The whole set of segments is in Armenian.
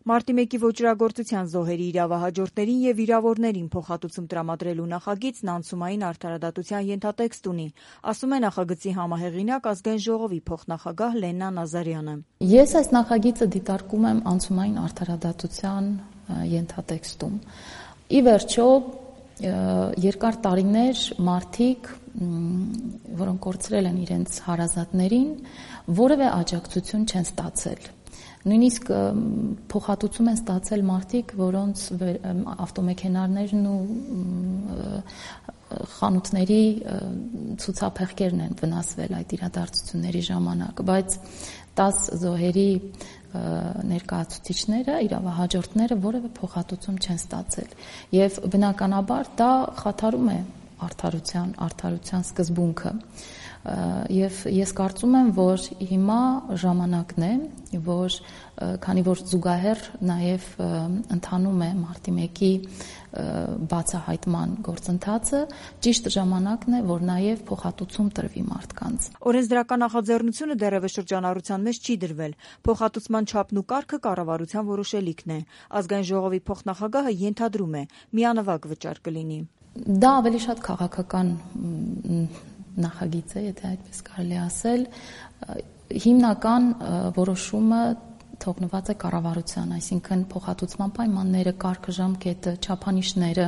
Մարտի 1-ի ոճրագործության զոհերի իրավահաջորդներին եւ վիրավորներին փոխհատուցում տրամադրելու նախագիծն անցումային արդարադատության ենթատեքստ ունի, ասում է նախագծի համահեղինակ Ազգային ժողովի փոխնախագահ Լեննա Նազարյանը։ Ես այս նախագիծը դիտարկում եմ անցումային արդարադատության ենթատեքստում։ Ի վերջո, երկար տարիներ մարդիկ, որոնք կորցրել են իրենց հարազատներին, որևէ աջակցություն չեն ստացել։ Նույնիսկ փոխհատուցում են ստացել մարդիկ, որոնց ավտոմեքենաներն ու խանութների ցուցափեղկերն են վնասվել այդ իրադարձությունների ժամանակ, բայց 10 զոհերի ներկայացուցիչները, իրավահաջորդները որևէ փոխհատուցում չեն ստացել եւ բնականաբար դա խաթարում է արդարության սկզբունքը եւ ես կարծում եմ, որ հիմա ժամանակն է, որ քանի որ զուգահեռ նաեւ ընթանում է Մարտի 1-ի բացահայտման գործընթացը, ճիշտ ժամանակն է, որ նաեւ փոխհատուցում տրվի մարդկանց։ Օրենսդրական նախաձեռնությունը դեռևս շրջանառության մեջ չի դրվել։ Փոխհատուցման չափն ու կարգը կառավարության որոշելիքն է։ Ազգային ժողովի փոխնախագահը ենթադրում է՝ միանվագ վճար կլինի։ Դա ավելի շատ քաղաքական նախագիծ է, եթե այդպես կարելի ասել, հիմնական որոշումը թողնված է կառավարության, այսինքն փոխհատուցման պայմանները, կարգը, ժամկետը, չափանիշները,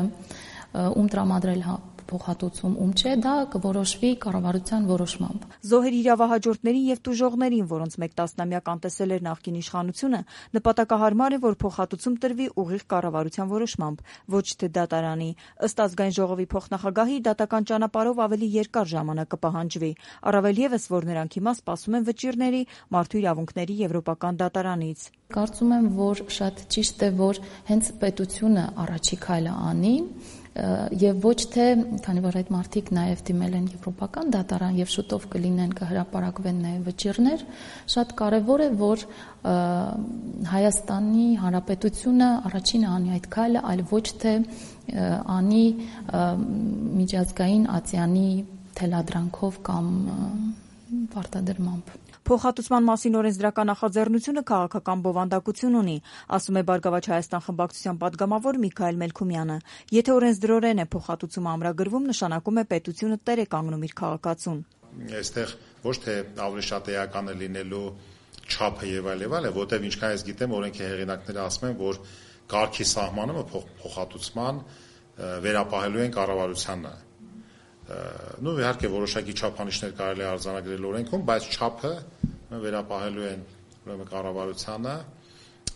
ում տրամադրել փոխհատուցում, ում չէ, դա կորոշվի կառավարության որոշմամբ։ Զոհերի իրավահաջորդներին եւ տուժողներին, որոնց մեկ տասնամյակ անտեսել էր նախկին իշխանությունը, նպատակահարմար է, որ փոխհատուցում տրվի ուղիղ կառավարության որոշմամբ, ոչ թե դատարանի։ Ըստ Ազգային ժողովի փոխնախագահի, դատական ճանապարհով ավելի երկար ժամանակ կպահանջվի, առավել եւս, որ նրանք հիմա սպասում են վճիռների Մարդու իրավունքների եվրոպական դատարանից։ Կարծում եմ, որ շատ ճիշտ է, որ հենց պետությունը առաջի քայլը անի եւ ոչ թե, քանի որ այդ մարդիկ նաեւ դիմել են եվրոպական դատարան եւ շուտով կհրապարակվեն նաեւ վճիռներ, շատ կարեւոր է, որ Հայաստանի Հանրապետությունը առաջինը անի այդ քայլը, այլ ոչ թե անի միջազգային ատյանի թելադրանքով կամ պարտադրմամբ։ Փոխհատուցման մասին օրենսդրական նախաձեռնությունը քաղաքական բովանդակություն ունի, ասում է Բարգավաճ Հայաստան խմբակցության падգամավոր Միքայել Մելքումյանը։ Եթե օրենսդրորեն է փոխհատուցումը ամրագրվում, նշանակում է պետությունը տեր է կանգնում իր քաղաքացուն։ Այստեղ ոչ թե ավելի շատ էական է լինելու չափը եւ այլ, որտեղ ինչքան ես գիտեմ, օրենքի հեղինակները ասում են, որ կարգի սահմանումը փոխհատուցման վերապահելու են կառավարությանը։ Իհարկե որոշակի չափանիշներ կարելի է արձանագրել օրենքում, բայց չափը վերապահելու են ուրեմն կառավարությանը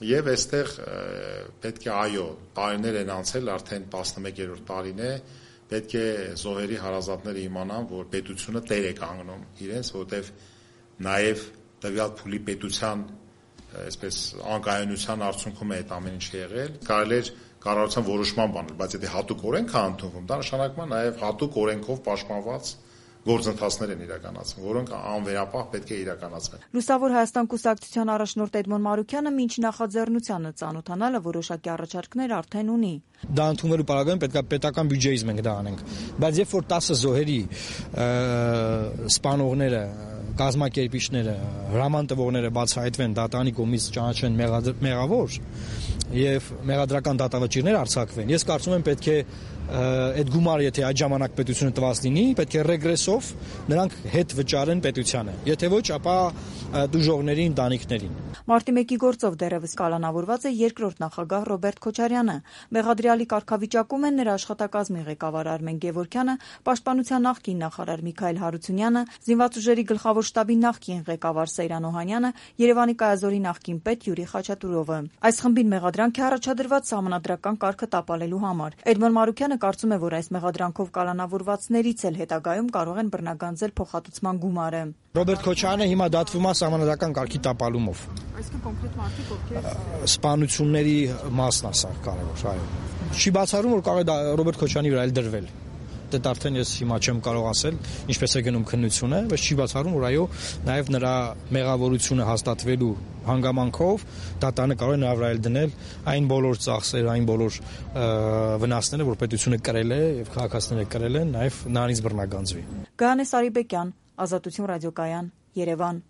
եւ այստեղ պետք է այո, տարիներ են անցել, արդեն 11-րդ տարին է, պետք է զոհերի հարազատները իմանան, որ պետությունը տեր է կանգնում իրենց, որովհետեւ նաեւ տվյալ փուլի պետության այսպես անկայունության արդյունքում է այդ ամեն ինչ եղել։ Կարելի է կառավարության որոշման բանել, բայց եթե հատուկ օրենք է ընդունվում, դա նշանակում է նաև հատուկ օրենքով պաշտպանված գործընթացներ են իրականացվում, որոնք անվերապահ պետք է իրականացվեն։ Լուսավոր Հայաստան կուսակցության առաջնորդ Էդմոն Մարուքյանը մինչ նախաձեռնությանը ծանոթանալը որոշակի առաջարկներ արդեն ունի։ Դա ընդունելու պարագայում պետք է պետական բյուջեից մենք դա անենք, բայց երբ որ 10 զոհերի սպանողները, կազմակերպիչները, հրաման տվողները բացահայտվեն, դատարանի կողմից ճանաչվեն մեղավոր եւ մեղադրական դատավճիռներ արձակվեն, ես կարծում եմ պետք է այդ գումարը, եթե այդ ժամանակ պետությունը տված լինի, պետք է ռեգրեսով նրանք հետ վճարեն պետությանը։ Եթե ոչ, ապա դժողների ընտանիքներին։ Մարտի 1-ի գործով դեռևս կալանավորված է երկրորդ նախագահ Ռոբերտ Քոչարյանը։ Մեղադրյալի կարգավիճակում են նրա աշխատակազմի ղեկավար Արմեն Գևորգյանը, Պաշտպանության նախկին նախարար Միքայել Հարությունյանը, Զինված ուժերի գլխավոր շտաբի նախկին ղեկավար Սեյրան Օհանյանը, Երևանի կայազորի նախկին պետ Յուրի Խաչատուրովը։ Այս խմբին մեղադրանք է առաջադրված սահմանադրական կարգը տապալելու համար։ Էդմոն Մարուքյանը կարծում է, որ այս մեղադրանքով կալանավորվածներից էլ հետագայում կարող են բռնագանձել փոխհատուցման գումարը։ Ռոբերտ Քոչարյանը հիմա դատվում է սահմանադրական կարգի տապալումով։ Այսինքն կոնկրետ մարդիկ ովքեր սպանությունների մասն է սա կարևոր, այո։ Չի բացառում, որ կարող է Ռոբերտ Քոչարյանի վրա էլ դրվել։ Դա արդեն ես հիմա չեմ կարող ասել, ինչպես է գնում քննությունը, բայց չի բացառում, որ այո, նաև նրա մեղավորությունը հաստատվելու հանգամանքով դատարանը կարող է նրա վրա էլ դնել այն բոլոր ծախսերը, այն բոլոր վնասները, որ պետությունը կրել է եւ քաղաքացիները կրել են, նաև նրանից բռնագանձվի։ Գայանե Սարիբեկյան, Ազատություն ռադիոկայան, Երևան։